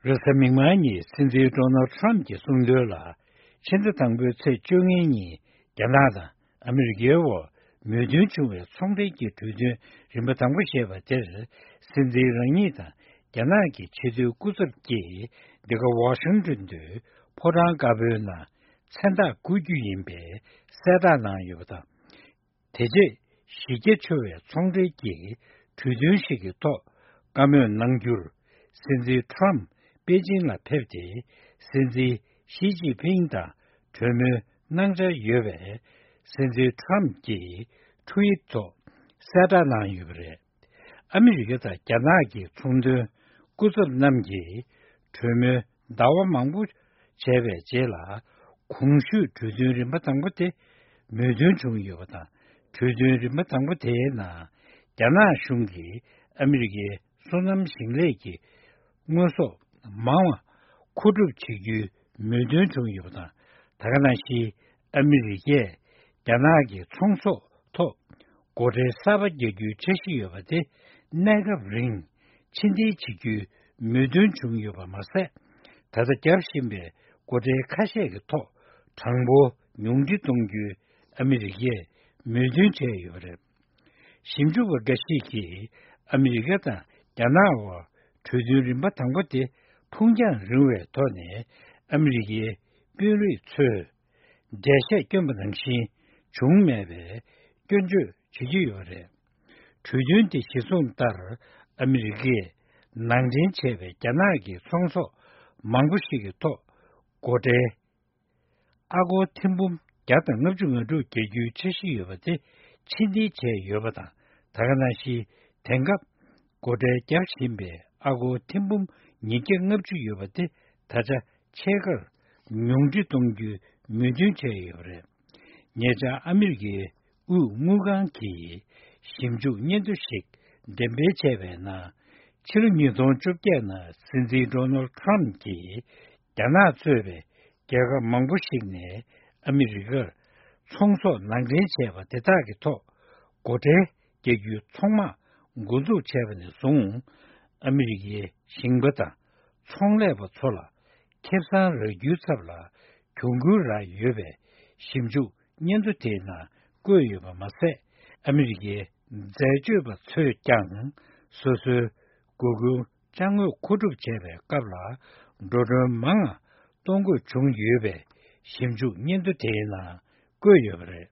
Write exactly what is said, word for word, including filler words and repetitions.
རེས་གཟའ་མིག་དམར་ཉིན་སྲིད་འཛིན་ཌོ་ནལ་ཊམ་གྱིས་གསུངས་དོན་ལ། ཕྱི་ཟླ་དང་པོའི་ཚེས་བཅོ་ལྔའི་ཉིན་རྒྱ་ནག་དང་ཨ་མི་རི་ཀའི་དབར་མོས་མཐུན་བྱུང་བའི་ཚོང་འབྲེལ་གྱི་གྲོས་མཐུན་རིམ་པ་དང་པོ་ཞེས་པ་དེར། སྲིད་འཛིན་རང་ཉིད་དང་རྒྱ་ནག་གི་ཆེས་མཐོའི་སྐུ་ཚབ་ཀྱིས་འདི་ག་ཝ་ཤིང་ཏོན་དུ་ཕོ་བྲང་དཀར་པོའི་ནང་མཚན་རྟགས་བསྐུར་རྒྱུ་ཡིན་པའི་གསལ་བསྒྲགས་གནང་ཡོད་པ་དང་། དེ་རྗེས་གཞི་རྒྱ་ཆེ་བའི་ཚོང་འབྲེལ་གྱི་གྲོས་མཐུན་ཞིག་གི་ཐོག་བཀའ་མོལ་གནང་རྒྱུར། སྲིད་འཛིན་ཊམ་པེ་ཅིང་ལ་ཕེབས་ཏེ། སྲིད་འཛིན་ཞི་ཅིན་ཕིང་དང་གྲོས་མོལ་གནང་འཆར་ཡོད་པའི་སྲིད་འཛིན་ཊམ་གྱིས་ཊུ་ཝིཊ་ཐོག་གསལ་བསྒྲགས་གནང་ཡོད་པ་རེད། ཨ་མི་རི་ཀ་དང་རྒྱ་ནག་གི་ཚོང་དོན་སྐུ་ཚབ་རྣམས་ཀྱིས་གྲོས་མོལ་ཟླ་བ་མང་པོ་བྱས་པའི་རྗེས་ལ། གོང་ཞུས་གྲོས་མཐུན་རིམ་པ་དང་པོ་དེ་མོས་མཐུན་བྱུང་ཡོད་པ་དང་། གྲོས་མཐུན་རིམ་པ་དང་པོ་དེའི་ནང་རྒྱ་ནག་གཞུང་གིས་ཨ་མི་རི་ཀའི་སོ་ནམ་ཞིང་ལས་ཀྱི་དངོས་ཟོག་མང་བ་མཁོ་སྒྲུབ་བྱེད་རྒྱུའི་མོས་མཐུན་བྱུང་ཡོད་པ་དང་། ད་ག་ནང་བཞིན་ཨ་མི་རི་ཀས་རྒྱ་ནག་གི་ཚོང་ཟོག་ཐོག་སྒོ་ཁྲལ་གསར་པ་རྒྱག་རྒྱུའི་འཆར་གཞི་ཡོད་པ་དེ་གནས་སྐབས་རིང་ཕྱིར་འཐེན་བྱེད་རྒྱུའི་མོས་མཐུན་བྱུང་ཡོད་པ་མ་ཟད། ད་ལྟ་བརྒྱབ་བཞིན་པའི་སྒོ་ཁྲལ་ཁ་ཤས་ཀྱི་ཐོག་གྲངས་འབོར་ཉུང་འཕྲི་གཏོང་རྒྱུའི་ཨ་མི་རི་ཀས་མོས་མཐུན་བྱས་ཡོད་པ་རེད། ཞིབ་འཇུག་པ་འགའ་ཞིག་གིས་ཨ་མི་རི་ཀ་དང་རྒྱ་ནག་དབར་གྲོས་མཐུན་རིམ་པ་དང་པོ་དེ་ཕུང་རྒྱང་རིང་བའི་ཐོག་ནས་ཨ་མི་རི་ཀའི་དཔོན་རིགས་ཚོས་འགྲེལ་བཤད་བསྐྱོན་པ་ནང་བཞིན་བྱུང་མེད་པའི་སྐྱོན་བརྗོད་བྱེད་ཀྱི་ཡོད་པ་རེད། གྲོས་མཐུན་དེ་གཞིར་བཟུང་ལྟར། ཨ་མི་རི་ཀས་ནང་འདྲེན་བྱས་པའི་རྒྱ་ནག་གི་ཚོང་ཟོག་མང་པོ་ཞིག་གི་ཐོག་སྒོ་ཁྲལ་ཨ་སྒོར་ཐེར་འབུམ་བརྒྱ་དང་ལྔ་བཅུ་ང་དྲུག་རྒྱག་རྒྱུའི་འཆར་གཞི་ཡོད་པ་དེ་ཕྱིར་འཐེན་བྱས་ཡོད་པ་དང་། ད་ག་ནང་བཞིན་དེང་སྐབས་སྒོ་ཁྲལ་བརྒྱབ་བཞིན་པའི་ཨ་སྒོར་ཐེར་འབུམ་ཉིས་བརྒྱ་ལྔ་བཅུ་ཡོད་པ་དེ་ད་ཆ་ཕྱེད་ཀར་ཉུང་འཕྲི་གཏོང་རྒྱུའི་མོས་མཐུན་བྱས་ཡོད་པ་རེད། ཉེ་ཆར་ཨ་མི་རི་ཀའི་དབུས་དངུལ་ཁང་གིས་ཞིབ་འཇུག་སྙན་ཐོ་ཞིག་འགྲེམས་སྤེལ་བྱས་པའི་ནང་། ཕྱི་ལོ་ཉིས་སྟོང་བཅོ་བརྒྱད་ནང་སྲིད་འཛིན་ཌོ་ནལ་ཊམ་གྱིས་རྒྱ་ནག་གཙོས་པའི་རྒྱལ་ཁབ་མང་པོ་ཞིག་ནས་ཨ་མི་རི་ཀར་ཚོང་ཟོག་ནང་འདྲེན་བྱས་པ་དེ་དག་གི་ཐོག་སྒོ་ཁྲལ་རྒྱག་རྒྱུའི་ཚོང་དམག་འགོ་འཛུགས་བྱས་པ་ནས་བཟུང་། ཨ་མི་རི་ཀའི་ཞིང་པ་དང་ཚོང་ལས་པ་ཚོ་ལ་ཁེ་བཟང་རག་རྒྱུའི་ཚབ་ལ་གྱོང་གུན་རག་ཡོད་པའི་ཞིབ་འཇུག་སྙན་ཐོ་དེའི་ནང་བཀོད་ཡོད་པ་མ་ཟད། ཨ་མི་རི་ཀའི་འཛད་སྤྱོད་པ་ཚོས་ཀྱང་སོ་སོའི་དགོས་མཁོའི་ཅ་དངོས་མཁོ་སྒྲུབ་བྱས་པའི་སྐབས་ལ་འགྲོ་གྲོན་མང་ང་གཏོང་དགོས་བྱུང་ཡོད་པའི་ཞིབ་འཇུག་སྙན་ཐོ་དེའི་ནང་བཀོད་ཡོད་པ་རེད།